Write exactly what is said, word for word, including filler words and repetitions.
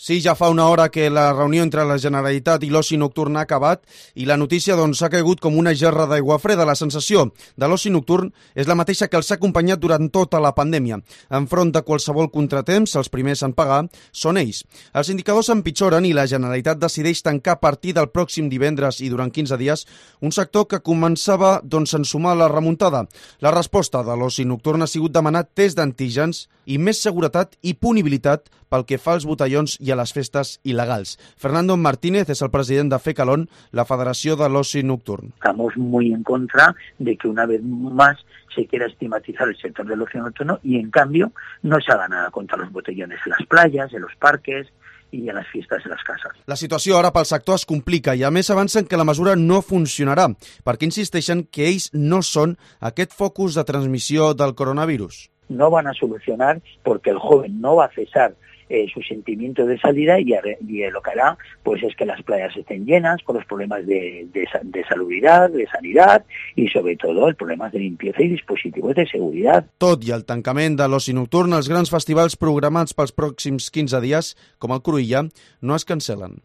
Sí, ja fa una hora que la reunió entre la Generalitat i l'oci nocturn ha acabat i la notícia doncs, ha caigut com una gerra d'aigua freda. La sensació de l'oci nocturn és la mateixa que els ha acompanyat durant tota la pandèmia. Enfront de qualsevol contratemps, els primers en pagar són ells. Els indicadors empitjoren i la Generalitat decideix tancar a partir del pròxim divendres i durant quinze dies un sector que començava doncs, a ensumar la remuntada. La resposta de l'oci nocturn ha sigut demanar test d'antígens i més seguretat i punibilitat pel que fa als botellons i a les festes il·legals. Fernando Martínez és el president de FECALON, la Federació de l'Oci Nocturn. Estamos muy en contra de que una vez más se quiera estigmatizar el sector del ocio nocturno y en cambio no se haga nada contra los botellones en las playas, en los parques i a les festes de les cases. La situació ara pel sector es complica i a més avancen que la mesura no funcionarà, perquè insisteixen que ells no són aquest focus de transmissió del coronavirus. No van a solucionar porque el joven no va a cesar eh, su sentimiento de salida y, y lo que hará pues es que las playas estén llenas con los problemas de, de, de salubridad, de sanidad y sobre todo el problema de limpieza y dispositivos de seguridad. Tot i el tancament de l'oci nocturn, els grans festivals programats pels pròxims quinze dies, com el Cruïlla, no es cancel·len.